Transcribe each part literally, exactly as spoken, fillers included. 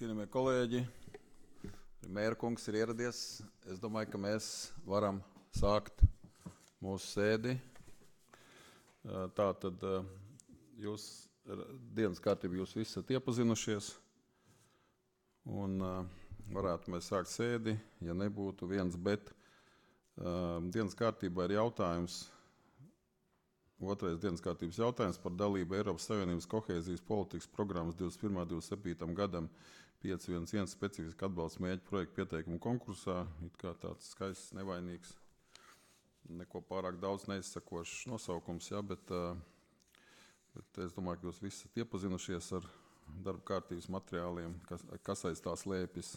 Cienījamie kolēģi, mēra kungs ir ieradies. Es domāju, ka mēs varam sākt mūsu sēdi. Tātad jūs dienas kārtību jūs visi esat iepazinušies. Un varētu mēs sākt sēdi, ja nebūtu viens, bet dienas kārtībā ir jautājums. Otrais dienas kārtības jautājums par dalību Eiropas Savienības kohēzijas politikas programmas divdesmit pirmā līdz divdesmit septītajam gadam pieci viens viens specifiski atbalsta mērķu projektu pieteikumu konkursā. It kā tāds skaists, nevainīgs, neko pārāk daudz neizsakošs nosaukums, ja, bet, bet es domāju, ka jūs visi esat iepazinušies ar darba kārtības materiāliem, kas, kas aiz tā slēpjas,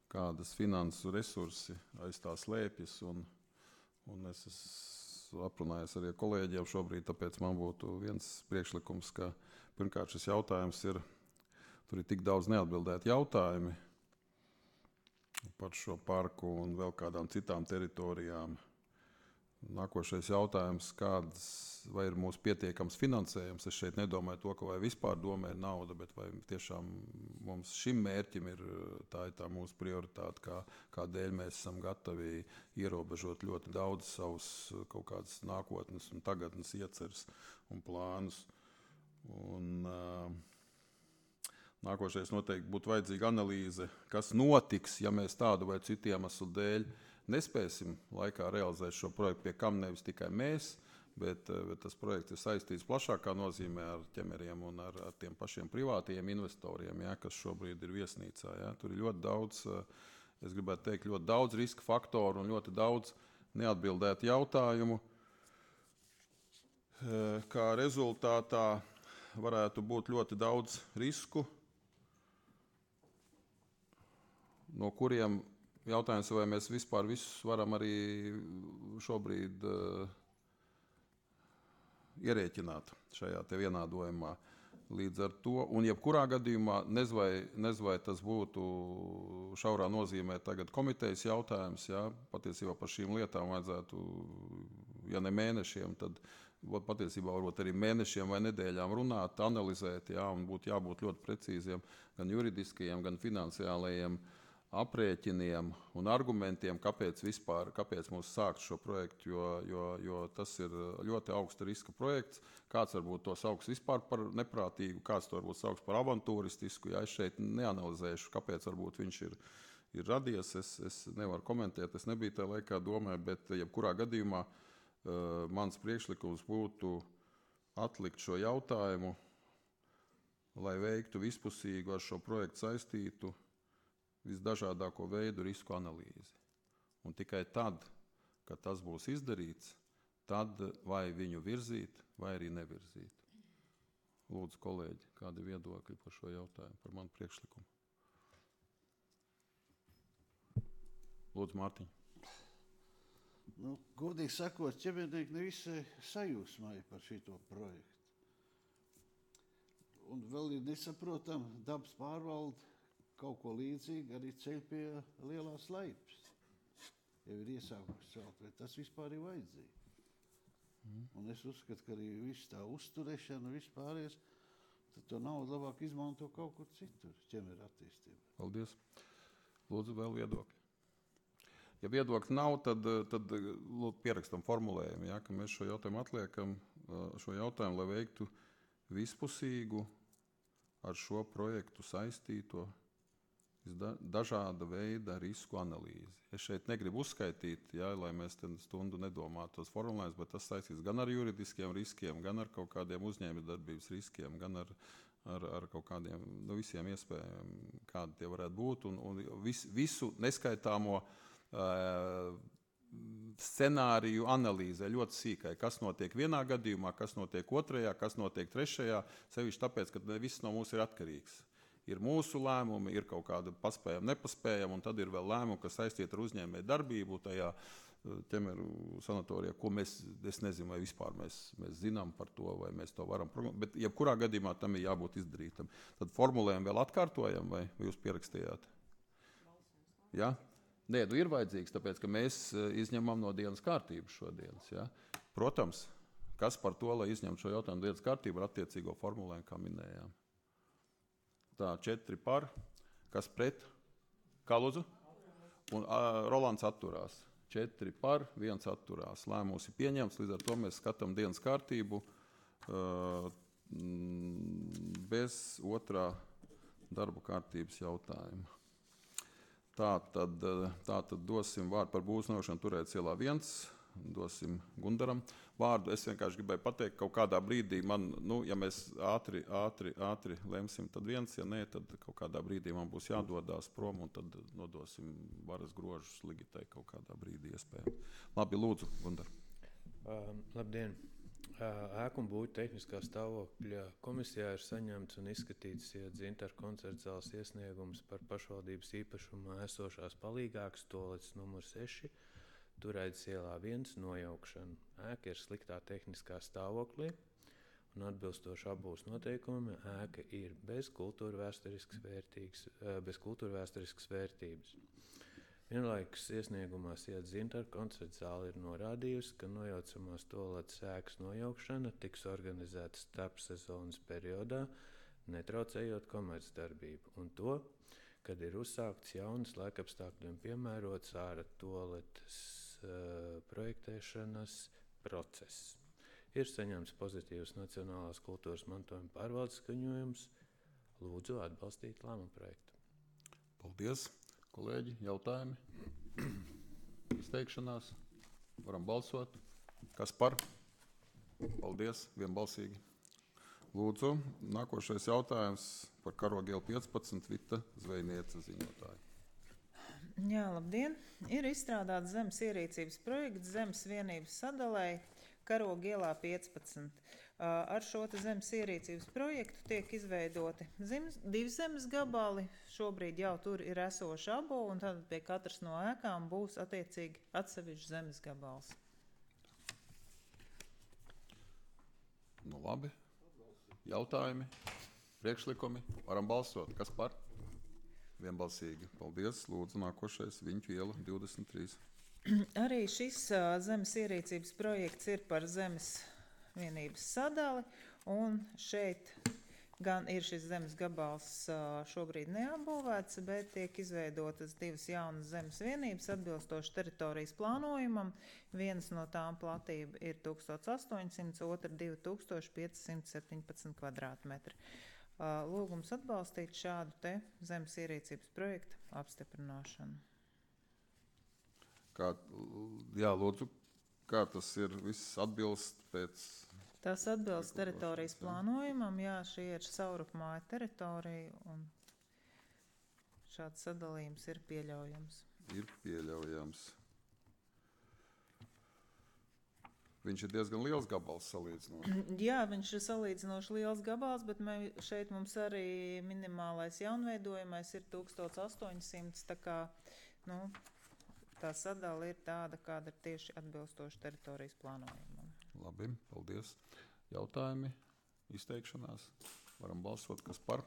kādas finansu resursi aiz tā slēpjas. Un, un es esmu aprunājis arī ar kolēģiem šobrīd, tāpēc man būtu viens priekšlikums, ka pirmkārt šis jautājums ir, tur ir tik daudz neatbildēt jautājumi par šo parku un vēl kādām citām teritorijām. Nākošais jautājums, kāds, vai ir mūsu pietiekams finansējums. Es šeit nedomāju to, ka vai vispār domē ir nauda, bet vai tiešām mums šim mērķim ir tā, ir tā mūsu prioritāte, kā, kādēļ mēs esam gatavi ierobežot ļoti daudz savus kaut kādas nākotnes un tagadnes ieceres un plānus. Un, uh, nākošais noteikti būtu vajadzīga analīze, kas notiks, ja mēs tādu vai citu iemeslu dēļ nespēsim laikā realizēt šo projektu, pie kam nevis tikai mēs, bet, bet tas projekts ir saistīts plašākā nozīmē ar ķemeriem un ar, ar tiem pašiem privātajiem investoriem, ja, kas šobrīd ir viesnīcā. Ja. Tur ir ļoti daudz, es gribētu teikt, ļoti daudz riska faktoru un ļoti daudz neatbildētu jautājumu. Kā rezultātā varētu būt ļoti daudz risku, no kuriem jautājums, vai mēs vispār visus varam arī šobrīd uh, ierēķināt šajā te vienādojumā. Līdz ar to, un jebkurā gadījumā, nez vai, nez vai tas būtu šaurā nozīmē tagad komitejas jautājums, ja, patiesībā par šīm lietām vajadzētu, ja ne mēnešiem, tad patiesībā varbūt arī mēnešiem vai nedēļām runāt, analizēt, ja, un būtu jābūt ļoti precīziem gan juridiskajiem, gan finansiālajiem aprēķiniem un argumentiem, kāpēc vispār, kāpēc mums sākt šo projektu, jo, jo, jo tas ir ļoti augsta riska projekts. Kāds varbūt to sauks vispār par neprātīgu, kāds to varbūt sauks par avantūristisku. Ja es šeit neanalizēšu, kāpēc varbūt viņš ir, ir radies, es, es nevaru komentēt, es nebiju tajā laikā domē, bet jebkurā gadījumā uh, mans priekšlikums būtu atlikt šo jautājumu, lai veiktu vispusīgu ar šo projektu saistītu visdažādāko veidu risku analīzi. Un tikai tad, kad tas būs izdarīts, tad vai viņu virzīt, vai arī nevirzīt. Lūdzu, kolēģi, kādi viedokļi par šo jautājumu, par manu priekšlikumu? Lūdzu, Mārtiņ. Nu, godīgi sakot, ķemernieki nevisai sajūsmāja par šito projektu. Un vēl ir nesaprotam dabas pārvalde, kaut ko līdzīgi arī ceļ pie lielās laipas. Jau ir iesākuši celt, vai tas vispār ir vajadzīgi. Mm. Un es uzskatu, ka arī viss tā uzturēšana, viss pārējais, tad to naudu labāk izmanto kaut kur citur, ķemera attīstībā. Paldies. Lūdzu, vēl viedokļi. Ja viedokļi nav, tad, tad lūdzu, pierakstam formulējumu, ja, ka mēs šo jautājumu atliekam, šo jautājumu, lai veiktu vispusīgu ar šo projektu saistīto dažāda veida risku analīzi. Es šeit negribu uzskaitīt, ja, lai mēs stundu nedomātu tos formulējumus, bet tas saistīts gan ar juridiskiem riskiem, gan ar kaut kādiem uzņēmējdarbības riskiem, gan ar, ar, ar kaut kādiem, nu, visiem iespējām, kādi tie varētu būt, un, un vis, visu neskaitāmo uh, scenāriju analīzē ļoti sīkai, kas notiek vienā gadījumā, kas notiek otrajā, kas notiek trešajā, sevišķi tāpēc, ka viss no mūs ir atkarīgs. Ir mūsu lēmumi, ir kaut kāda paspējama, nepaspējama, un tad ir vēl lēmumi, kas saistīti ar uzņēmēju darbību tajā ķemeru sanatorijā, ko mēs, es nezinu, vai vispār mēs, mēs zinām par to, vai mēs to varam prognozēt, bet jebkurā gadījumā tam ir jābūt izdarītam. Tad formulējumu vēl atkārtojam, vai jūs pierakstījāt? Ja? Nē, nu ir vajadzīgs, tāpēc, ka mēs izņemam no dienas kārtības šodienas. Ja? Protams, kas par to, lai izņemtu šo jautājumu dienas kārtību ar attiecīgo formulējumu, kā minējām. Tā, četri par, Kas pret? Kā lūdzu? Un uh, Rolands atturās. Četri par, viens atturās. Lēmums ir pieņemts, līdz ar to mēs skatām dienas kārtību uh, bez otrā darba kārtības jautājuma. Tā tad, tā tad dosim vārdu par būvniecības nojaukšanu Turētas ielā viens. Dosim Gundaram vārdu. Es vienkārši gribēju pateikt, kaut kādā brīdī man, nu, ja mēs ātri, ātri, ātri lemsim, tad viens, ja nē, tad kaut kādā brīdī man būs jādodās prom un tad nodosim varas grožus Ligitai kaut kādā brīdī iespējams. Labi, lūdzu, Gundar. Uh, labdien! Uh, ēku un būvju tehniskā stāvokļa komisijā ir saņemts un izskatīts Dzintaru koncerta zāles iesniegums par pašvaldības īpašumā esošās palīgākas toaletes numur seši. Turētas ielā viens nojaukšana. Ēka ir sliktā tehniskā stāvoklī un atbilstoši apbūves noteikumi ēka ir bez kultūrvēsturiskas vērtīgas, bez kultūrvēsturiskas vērtības. Vienlaikus iesniegumā Dzintaru koncerta zāle ir norādījusi, ka nojaucamās toaletes ēkas nojaukšana tiks organizēta starpsezonas periodā, netraucējot komercdarbību, un to, kad ir uzsākts jaunas laikapstākļiem piemērots ārā toaletes uh, projektēšanas process. Ir saņemts pozitīvs Nacionālās kultūras mantojuma pārvaldes skaņojums. Lūdzu atbalstīt lēmumu projektu. Paldies, kolēģi. Jautājumi? Izteikšanās? Varam balsot. Kas par? Paldies, vienbalsīgi. Lūdzu, nākošais jautājums par Karogu ielu piecpadsmit, Vita Zvejniece ziņotāja. Jā, labdien! Ir izstrādāts zemes ierīcības projekts zemes vienības sadalē Karogu ielā piecpadsmit. Ar šo zemes ierīcības projektu tiek izveidoti zemes, divi zemes gabali. Šobrīd jau tur ir esoša abo, un tad pie katras no ēkām būs attiecīgi atsevišķs zemes gabals. Nu labi. Jautājumi, priekšlikumi, varam balsot. Kas par? Vienbalsīgi. Paldies. Lūdzu, nākošais Viņķu iela divdesmit trīs. Arī šis uh, zemes ierīcības projekts ir par zemes vienības sadali, un šeit gan ir šis zemes gabals uh, šobrīd neapbūvēts, bet tiek izveidotas divas jaunas zemes vienības atbilstoši teritorijas plānojumam. Viens no tām platība ir tūkstoš astoņsimt, otra divi tūkstoši piecsimt septiņpadsmit kvadrātmetri. Uh, lūgums atbalstīt šādu te zemes ierīcības projektu apstiprināšanu. Kā, jā, lūdzu, kā tas ir viss atbilst pēc... Tas atbilst teritorijas plānojumam, jā, šī ir saurupmāja teritorija, un šāds sadalījums ir pieļaujams. Ir pieļaujams. Viņš ir diezgan liels gabals salīdzinoši. Jā, viņš ir salīdzinoši liels gabals, bet mē, šeit mums arī minimālais jaunveidojumais ir tūkstoš astoņsimt, tā kā, nu, tā sadala ir tāda, kāda ir tieši atbilstoši teritorijas plānojumam. Labi, paldies. Jautājumi, izteikšanās. Varam balsot, kas par.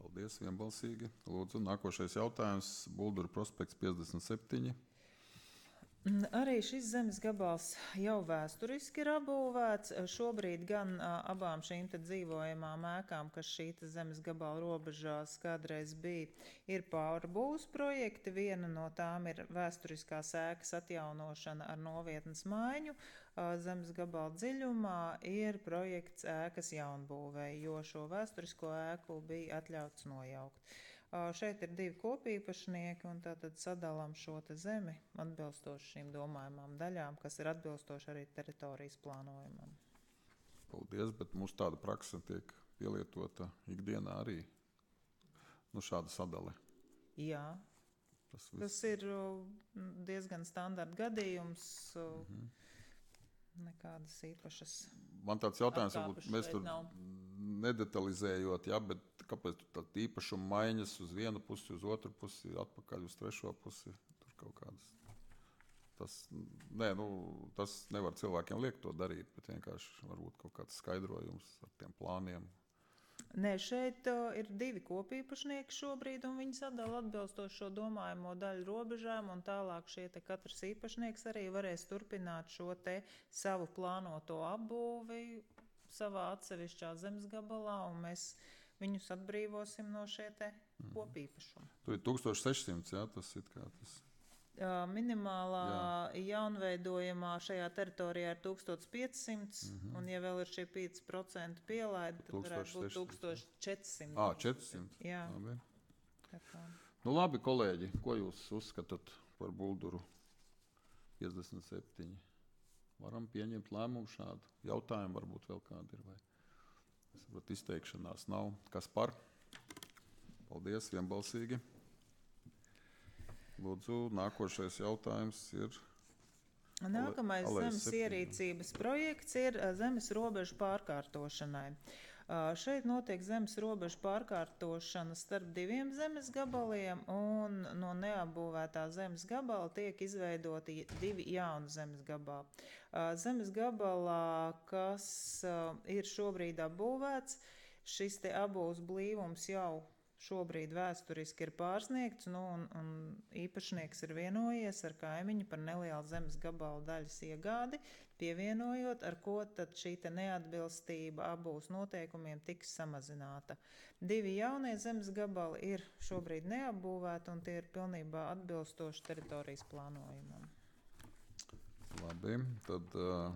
Paldies, vienbalsīgi. Lūdzu, nākošais jautājums. Bulduru prospekts piecdesmit septiņi. Arī šis zemes gabals jau vēsturiski ir apbūvēts. Šobrīd gan a, abām šīm te dzīvojamām ēkām, kas šī te zemes gabala robežās kādreiz bija, ir pārbūves projekti. Viena no tām ir vēsturiskās ēkas atjaunošana ar novietnes maiņu. A, zemes gabala dziļumā ir projekts ēkas jaunbūvei, jo šo vēsturisko ēku bija atļauts nojaukt. Šeit ir divi kopīpašnieki, un tātad sadalām šo te zemi atbilstoši šīm domājumām daļām, kas ir atbilstoši arī teritorijas plānojumam. Paldies, bet mums tāda praksa tiek pielietota ikdienā arī, nu šāda sadale. Jā, tas, tas ir diezgan standarta gadījums, mhm. Nekādas īpašas. Man tāds jautājums, varbūt mēs tur nav. Nedetalizējot, ja, bet kāpēc tur tāda īpašuma maiņas uz vienu pusi, uz otru pusi, atpakaļ uz trešo pusi, tur kaut kādas. Tas, nē, nu, tas nevar cilvēkiem liekt to darīt, bet vienkārši varbūt kaut kāds skaidrojums ar tiem plāniem. Nē, šeit uh, ir divi kopīpašnieki šobrīd, un viņi sadala atbilstoši šo domājamo daļu robežām, un tālāk šie te katrs īpašnieks arī varēs turpināt šo te savu plānoto apbūvi savā atsevišķā zemes gabalā, un mēs viņus atbrīvosim no šie te kopīpašumu. Tur ir tūkstoš sešsimts, jā, tas ir kā tas. Uh, minimālā jā. jaunveidojumā šajā teritorijā ir tūkstoš piecsimt, mm-hmm. un ja vēl ir šie pieci procenti pielaidi, tad varētu būt tūkstoš četrsimt. Ā, četrsimt. Jā. Labi. Tā. Nu labi, kolēģi, ko jūs uzskatāt par Bulduru piecdesmit septiņi? Varam pieņemt lēmumu šādu. Jautājumu varbūt vēl kādi ir, vai es saprotu, izteikšanās nav. Kas par? Paldies, vienbalsīgi. Lūdzu, nākošais jautājums ir... Nākamais Ale- zemes septiņi. ierīcības projekts ir ā, zemes robežu pārkārtošanai. Uh, šeit notiek zemes robežu pārkārtošana starp diviem zemes gabaliem, un no neapbūvētā zemes gabala tiek izveidoti divi jauni zemes gabali. Uh, zemes gabalā, kas uh, ir šobrīd apbūvēts, šis te abūves blīvums jau šobrīd vēsturiski ir pārsniegts, nu, un, un īpašnieks ir vienojies ar kaimiņu par nelielu zemes gabalu daļas iegādi, pievienojot, ar ko tad šī te neatbilstība abūs noteikumiem tiks samazināta. Divi jaunie zemes gabali ir šobrīd neapbūvēti, un tie ir pilnībā atbilstoši teritorijas plānojumam. Labi, tad, uh,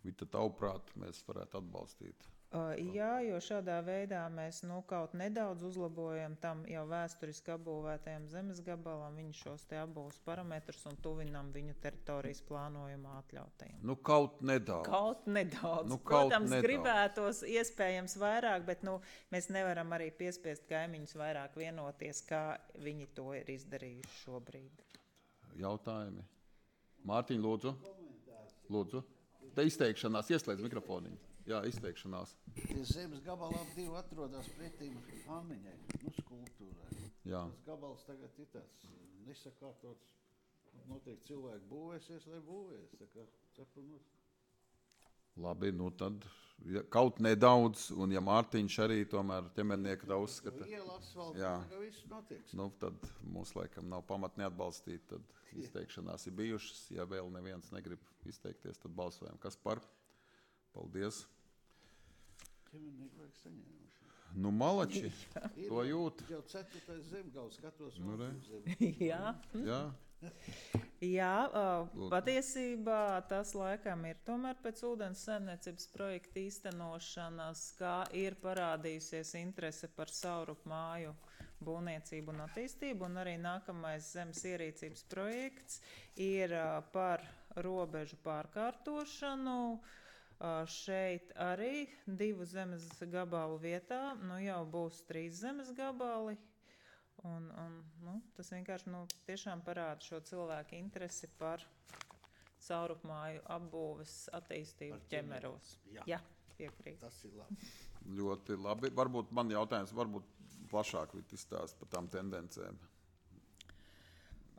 Vita, tavuprāt, mēs varētu atbalstīt. Uh, jā, jo šādā veidā mēs nu, kaut nedaudz uzlabojam tam jau vēsturiski apbūvētajam zemes gabalam viņu šos te abūves parametrus un tuvinam viņu teritorijas plānojumā atļautajiem. Nu, kaut nedaudz. Kaut nedaudz. Nu, kaut Protams, nedaudz. gribētos iespējams vairāk, bet nu, mēs nevaram arī piespiest kaimiņus vairāk vienoties, kā viņi to ir izdarījuši šobrīd. Jautājumi? Mārtiņ, lūdzu. Lūdzu. Te izteikšanās, ieslēdz mikrofoniņu. Jā, izteikšanās. Tie zemes gabali ap divi atrodas pretīm Anniņai, nu, skulptūrai. Jā. Tas gabals tagad ir tāds nesakārtots. Noteikti cilvēki būvēsies, lai būvēs. Tā kā cepu no... Labi, nu tad ja, kaut nedaudz, un ja Mārtiņš arī tomēr ķemernieka tā uzskata, Iela asfalta, Jā. tā kā viss notiek. nu tad mums laikam nav pamat neatbalstīt, tad izteikšanās ir bijušas. Ja vēl neviens negrib izteikties, tad balsojam. Kas par? Paldies. Ķemernieki vajag saņēmuši. Nu, malači, Ir to jūt. Jau ceturtais zemgals, skatos Nu, re. zem. Jā. Jā, Jā, uh, Lūdzu. patiesībā tas laikam ir tomēr pēc ūdens saimniecības projekta īstenošanas, kā ir parādījusies interese par saurupu māju būvniecību un attīstību, un arī nākamais zemes ierīcības projekts ir uh, par robežu pārkārtošanu. Uh, šeit arī divu zemes gabalu vietā, nu jau būs trīs zemes gabali. Un, un, nu, tas vienkārši nu, tiešām parāda šo cilvēku interesi par saurupmāju apbūves attīstību Par ķemeros. Jā. Jā, piekrīt. Tas ir labi. ļoti labi. Varbūt man jautājums, varbūt plašāk izstāst par tām tendencēm.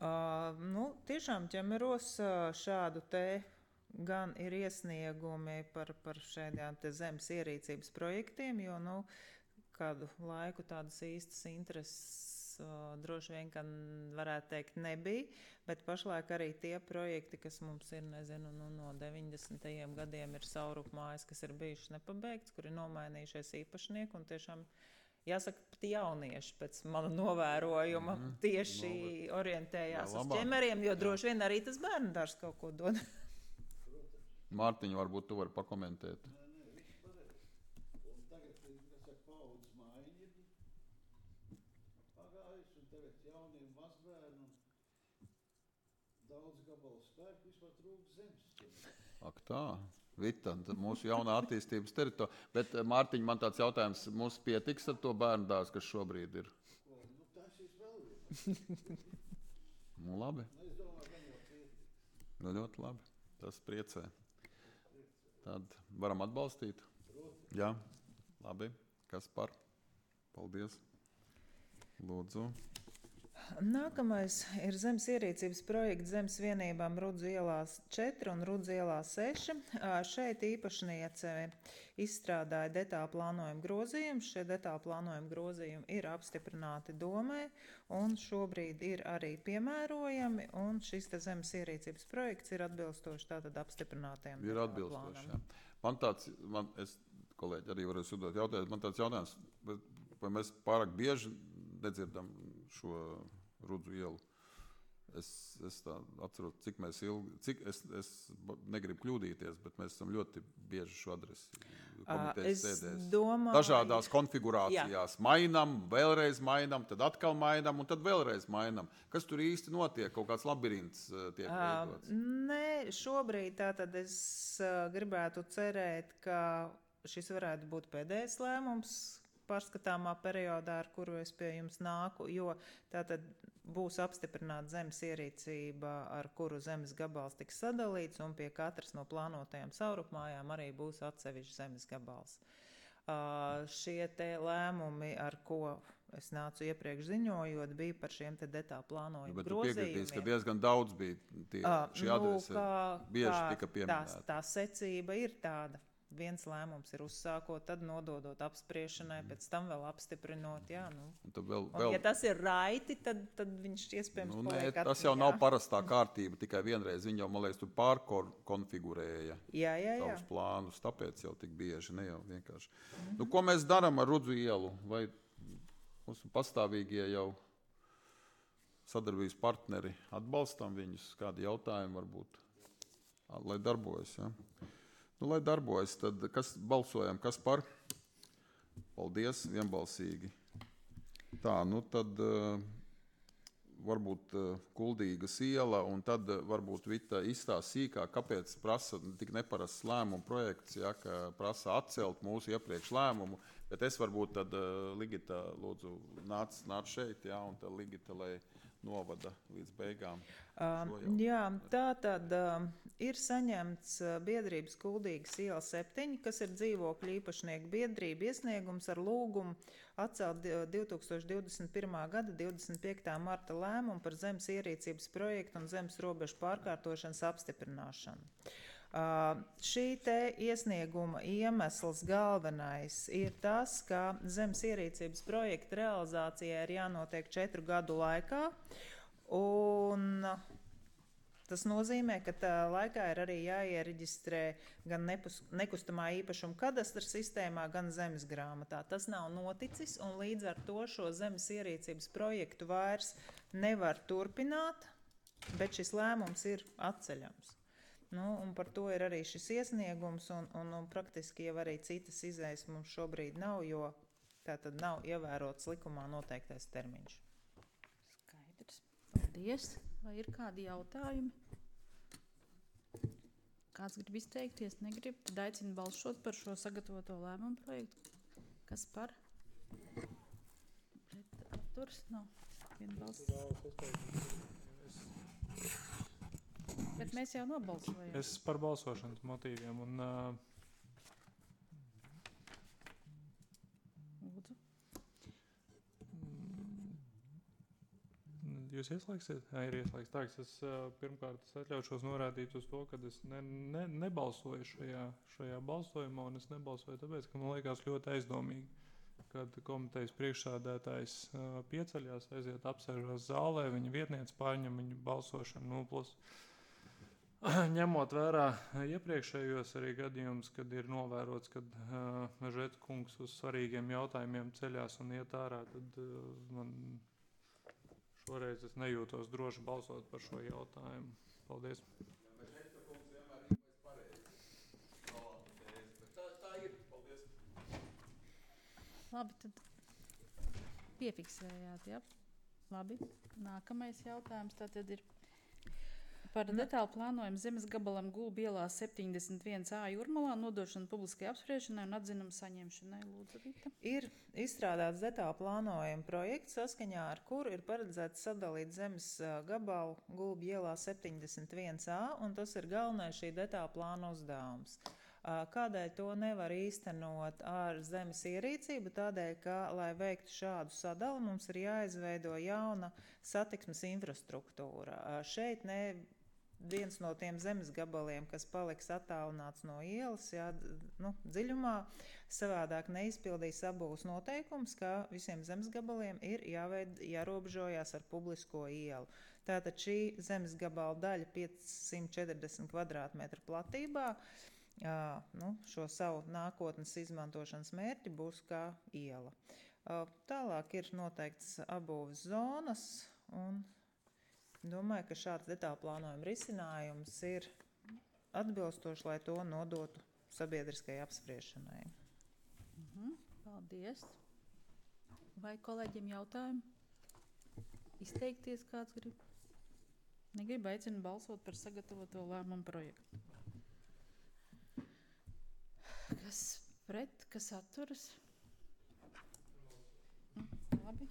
Uh, nu, tiešām ķemeros uh, šādu te gan ir iesniegumi par, par šādām te zemes ierīcības projektiem, jo nu, kādu laiku tādas īstas intereses uh, droši vien, ka varētu teikt, nebija, bet pašlaik arī tie projekti, kas mums ir, nezinu, nu, no deviņdesmitajiem gadiem ir saurupmājas, kas ir bijušas nepabeigts, kur ir nomainījušies īpašnieki un tiešām jāsaka, pat jaunieši pēc mana novērojuma mm-hmm. tieši no, orientējās uz ķemeriem, jo droši vien arī tas bērnudārs kaut ko dod. Mārtiņa, varbūt tu vari pakomentēt. Nē, nē, viss pareizi. Un tagad, kas saka, paudzes mājiņi ir pagājis, un tagad jauniem mazbērnam daudz gabalu spēku vispār trūks zemes. Ak tā, Vita, mūsu jaunā attīstības teritorija. Bet, Mārtiņ, man tāds jautājums, mums pietiks ar to bērnudārzu, kas šobrīd ir? Ko, nu, tas ir vēl viena. Nu, labi. Nu, es domāju, ka jau pietiks. Nu, ļoti labi. Tas priecē. Tad varam atbalstīt? Jā, labi. Kas par? Paldies. Lūdzu. Nākamais ir zemes ierīcības projekts zemes vienībām Rudzu ielās četri un Rudzu ielā seši. Šeit īpašniece izstrādāja detālu plānojumu grozījumus. Šie detālu plānojumu grozījumi ir apstiprināti domē un šobrīd ir arī piemērojami, un šis te zemes ierīcības projekts ir atbilstoši tātad apstiprinātajam Ir detālu atbilstoši, plānam. jā. Man tāds, man, es, kolēģi, arī varu uzdot jautājumu, man tāds jautājums, vai mēs pārāk bieži nedzirdam šo Rudzu ielu. Es, es tā atceros, cik mēs ilgi, cik es, es negribu kļūdīties, bet mēs esam ļoti bieži šo adresi komitejas sēdēs. Domāju, Dažādās konfigurācijās. Jā. Mainam, vēlreiz mainam, tad atkal mainam un tad vēlreiz mainam. Kas tur īsti notiek? Kaut kāds labirints tiek veidots? Nē, šobrīd tātad es gribētu cerēt, ka šis varētu būt pēdējais lēmums pārskatāmā periodā, ar kuru es pie jums nāku, jo tātad būs apstiprināta zemes ierīcība, ar kuru zemes gabals tiks sadalīts, un pie katras no plānotajām saurupmājām arī būs atsevišķs zemes gabals. Uh, šie te lēmumi, ar ko es nācu iepriekš ziņojot, bija par šiem te detālu plānojumu grozījumiem. Bet tu piekritīs, ka diezgan daudz bija tie, uh, šī adrese, nu, bieži kā, tika pieminēta. Tā, tā secība ir tāda. Viens lēmums ir uzsākot, tad nododot apspriešanai, pēc tam vēl apstiprinot. Jā, nu. Un vēl, un, vēl... ja tas ir raiti, tad, tad viņš iespējams nu, paliek atmiņā. Tas jau nav parastā kārtība, tikai vienreiz viņi jau, man liekas, tur pārkonfigurēja jā, jā, jā. savus plānus, tāpēc jau tik bieži, ne jau vienkārši. Mm-hmm. Nu, ko mēs darām ar Rudzu ielu? Vai mūsu pastāvīgie jau sadarbības partneri atbalstam viņus? Kādi jautājumi varbūt, lai darbojas, ja? Nu, lai darbojas, tad kas balsojam, kas par? Paldies, vienbalsīgi. Tā, nu tad uh, varbūt uh, Kuldīgas iela, un tad uh, varbūt Vita izstāsta sīkāk, kāpēc prasa tik neparasts lēmumu projekts, ja, ka prasa atcelt mūsu iepriekš lēmumu, bet es varbūt tad uh, Ligita, lūdzu, nāc, nāc šeit, ja, un tad Ligita, lai novada līdz beigām. Uh, jā, tā tad uh, ir saņemts uh, biedrības Kuldīgas iela septiņi, kas ir dzīvokļu īpašnieku biedrība iesniegums ar lūgumu atcelt divi tūkstoši divdesmit pirmā gada divdesmit piektā marta lēmumu par zemes ierīcības projektu un zemes robežu pārkārtošanas apstiprināšanu. Uh, šī te iesnieguma iemesls galvenais ir tas, ka zemes ierīcības projekta realizācijai ir jānotiek četru gadu laikā, un tas nozīmē, ka tā laikā ir arī jāiereģistrē gan nepus, nekustamā īpašuma kadastra sistēmā, gan zemes grāmatā. Tas nav noticis, un līdz ar to šo zemes ierīcības projektu vairs nevar turpināt, bet šis lēmums ir atceļams. Nu, un par to ir arī šis iesniegums, un, un, un praktiski jau arī citas izējas mums šobrīd nav, jo tā tad nav ievērots likumā noteiktais termiņš. Skaidrs. Paldies. Vai ir kādi jautājumi? Kāds grib izteikties, negrib? Tad aicinu balsot par šo sagatavoto lēmumu projektu. Kas par? Pret atturs? Nav. Viena balss. Bet mēs jau nobalsojam. Es par balsošanas motīviem un uh, Lūdzu. Jūs ieslēgsiet? Jā, ir ieslēgts. Tā, es uh, pirmkārt es atļaušos norādīt uz to, ka es ne, ne, nebalsoju šajā, šajā balsojumā, un es nebalsoju tāpēc, ka man liekas ļoti aizdomīgi, kad komitejas priekšsādētājs uh, pieceļās, aiziet apsēžās zālē, viņa vietniece pārņem viņu balsošanu, nu, plus ņemot vērā iepriekšējos arī gadījumus, kad ir novērots, kad uh, Mežeta kungs uz svarīgiem jautājumiem ceļās un iet ārā, tad uh, man šoreiz es nejūtos droši balsot par šo jautājumu. Paldies. Mežeta kungs vienmēr ir pareizi. Tā, tā ir. Paldies. Labi, tad piefiksējāt, ja? Labi. Nākamais jautājums tātad ir par detālu plānojumu zemes gabalam Gulbu ielā septiņdesmit viens A Jūrmalā nodošanu publiskai apspriešanai un atzinumu saņemšanai. Lūdzu, Vita. Ir izstrādāts detālu plānojuma projekts, saskaņā ar kuru ir paredzēts sadalīt zemes gabalu Gulbu ielā septiņdesmit viens A, un tas ir galvenais šī detālu plāna uzdevums. Kādēļ to nevar īstenot ar zemes ierīcību? Tādēļ, ka, lai veiktu šādu sadali, mums ir jāizveido jauna satiksmes infrastruktūra. Šeit ne viens no tiem zemes gabaliem, kas paliks attālināts no ielas, jā, nu, dziļumā, savādāk neizpildīs abūs noteikums, ka visiem zemes gabaliem ir jāveid, jārobežojās ar publisko ielu. Tātad šī zemes gabala daļa piecsimt četrdesmit kvadrātmetru platībā, jā, nu, šo savu nākotnes izmantošanas mērķi būs kā iela. Uh, Tālāk ir noteikts apbūves zonas, un domāju, ka šāds detāla plānojuma risinājums ir atbilstoši, lai to nodotu sabiedriskai apspriešanai. Mhm, paldies. Vai kolēģiem jautājumi? Izteikties kāds grib? Negribu, aicinu balsot par sagatavoto lēmumu projektu. Kas pret, kas atturas? Mm, labi.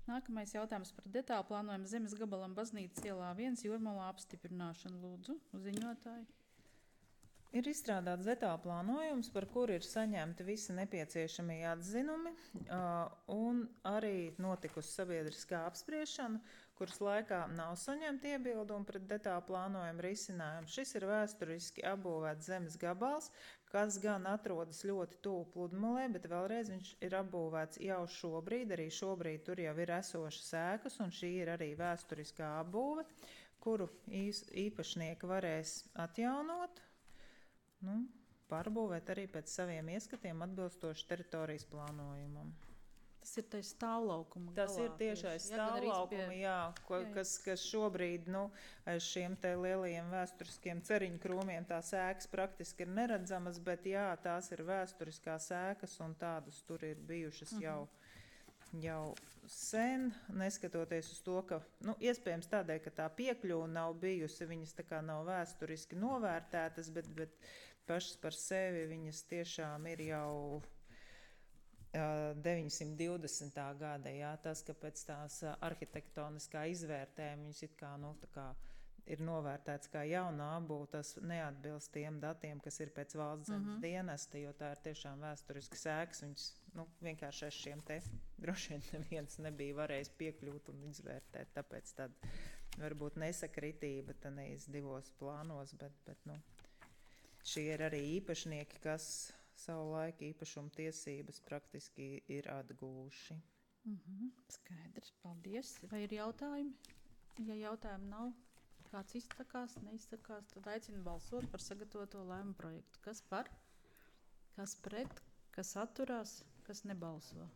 Nākamais jautājums par detālu plānojumu zemes gabalam Baznīcas ielā viens Jūrmalā apstiprināšanu. Lūdzu, ziņotāji. Ir izstrādāts detāla plānojums, par kuru ir saņemti visi nepieciešamie atzinumi, uh, un arī notikusi sabiedriskā apspriešana, kuras laikā nav saņemti iebildumi pret detāla plānojuma risinājumu. Šis ir vēsturiski apbūvēts zemes gabals, kas gan atrodas ļoti tuvu pludmalē, bet vēlreiz viņš ir apbūvēts jau šobrīd. Arī šobrīd tur jau ir esošas ēkas, un šī ir arī vēsturiskā apbūve, kuru īs, īpašnieki varēs atjaunot. Nu, pārbūvēt arī pēc saviem ieskatiem atbilstoši teritorijas plānojumam. Tas ir tais stāvlaukuma galā. Tas ir tiešais tieši, jā, gan arī stāvlaukuma, pie- jā, ko, jā, jā. kas, kas šobrīd, nu, aiz šiem te lielajiem vēsturiskiem ceriņu krūmiem tās ēkas praktiski ir neredzamas, bet jā, tās ir vēsturiskās ēkas un tādas tur ir bijušas Mhm. jau, jau sen, neskatoties uz to, ka, nu, iespējams tādēļ, ka tā piekļuva nav bijusi, viņas tā kā nav vēsturiski novērtētas, bet, bet pašas par sevi viņas tiešām ir jau deviņsimt divdesmitā gada, jā, tas, ka pēc tās ā, arhitektoniskā izvērtējuma viņas it kā, nu, tā kā ir novērtēts kā jaunā apbūve, tas neatbilst tiem datiem, kas ir pēc valsts zemes Mhm. dienesta, jo tā ir tiešām vēsturiskas ēkas, viņas, nu, vienkārši ar šiem te droši vien neviens nebija varējis piekļūt un izvērtēt, tāpēc tad varbūt nesakritība tanīs divos plānos, bet, bet, nu, šie ir arī īpašnieki, kas savu laiku īpašuma tiesības praktiski ir atgūši. Mhm, skaidrs, paldies. Vai ir jautājumi? Ja jautājumu nav, kāds izsakās, neizsakās, tad aicinu balsot par sagatavoto lēmumu projektu. Kas par? Kas pret? Kas atturās? Kas nebalso?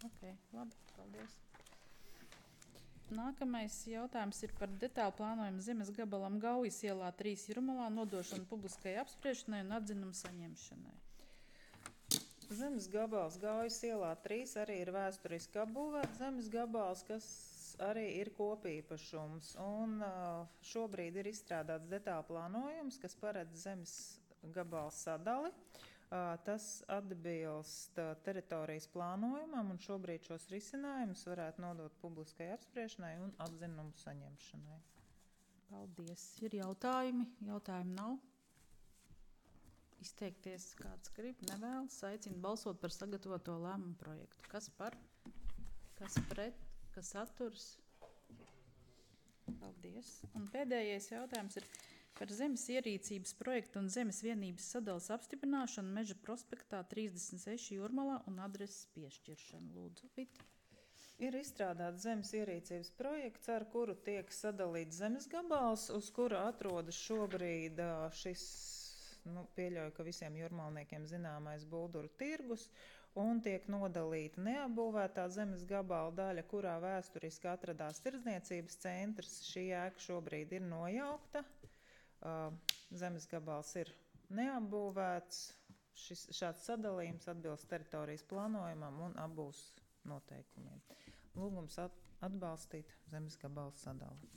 Ok, labi, paldies. Nākamais jautājums ir par detālu plānojumu zemes gabalam Gaujas ielā trīs Jūrmalā nodošanu publiskai apspriešanai un atzinumu saņemšanai. Zemes gabals Gaujas ielā trīs arī ir vēsturiski apbūvēts zemes gabals, kas arī ir kopīpašums. Un uh, šobrīd ir izstrādāts detāla plānojums, kas paredz zemes gabala sadali. Uh, tas atbilst uh, teritorijas plānojumam, un šobrīd šos risinājumus varētu nodot publiskai apspriešanai un atzinumu saņemšanai. Paldies. Ir jautājumi? Jautājumi nav. Izteikties kāds grib, nevēlas. Aicinu balsot par sagatavoto lēmumu projektu. Kas par? Kas pret? Kas atturas? Paldies. Un pēdējais jautājums ir par zemes ierīcības projektu un zemes vienības sadalas apstiprināšanu Meža prospektā trīsdesmit seši Jūrmalā un adreses piešķiršanu. Lūdzu, Vita. Ir izstrādāts zemes ierīcības projekts, ar kuru tiek sadalīts zemes gabals, uz kura atrodas šobrīd ā, šis, nu, pieļauju, ka visiem jūrmalniekiem zināmais Bulduru tirgus, un tiek nodalīta neapbūvētā zemes gabala daļa, kurā vēsturiski atradās tirdzniecības centrs. Šī ēka šobrīd ir nojaukta. Uh, zemes gabals ir neapbūvēts. Šis, šāds sadalījums atbilst teritorijas plānojumam un apbūves noteikumiem. Lūgums at, atbalstīt zemes gabala sadali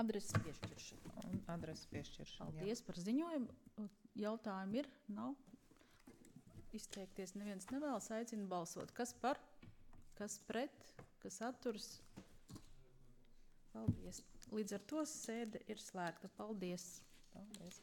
Adreses piešķiršanu. un adreses piešķiršanu. jā. Paldies par ziņojumu. Jautājumi ir? Nav? Izteikties neviens nevēlas. Aicinu balsot. Kas par? Kas pret? Kas atturas? Paldies. Līdz ar to sēde ir slēgta. Paldies. Paldies.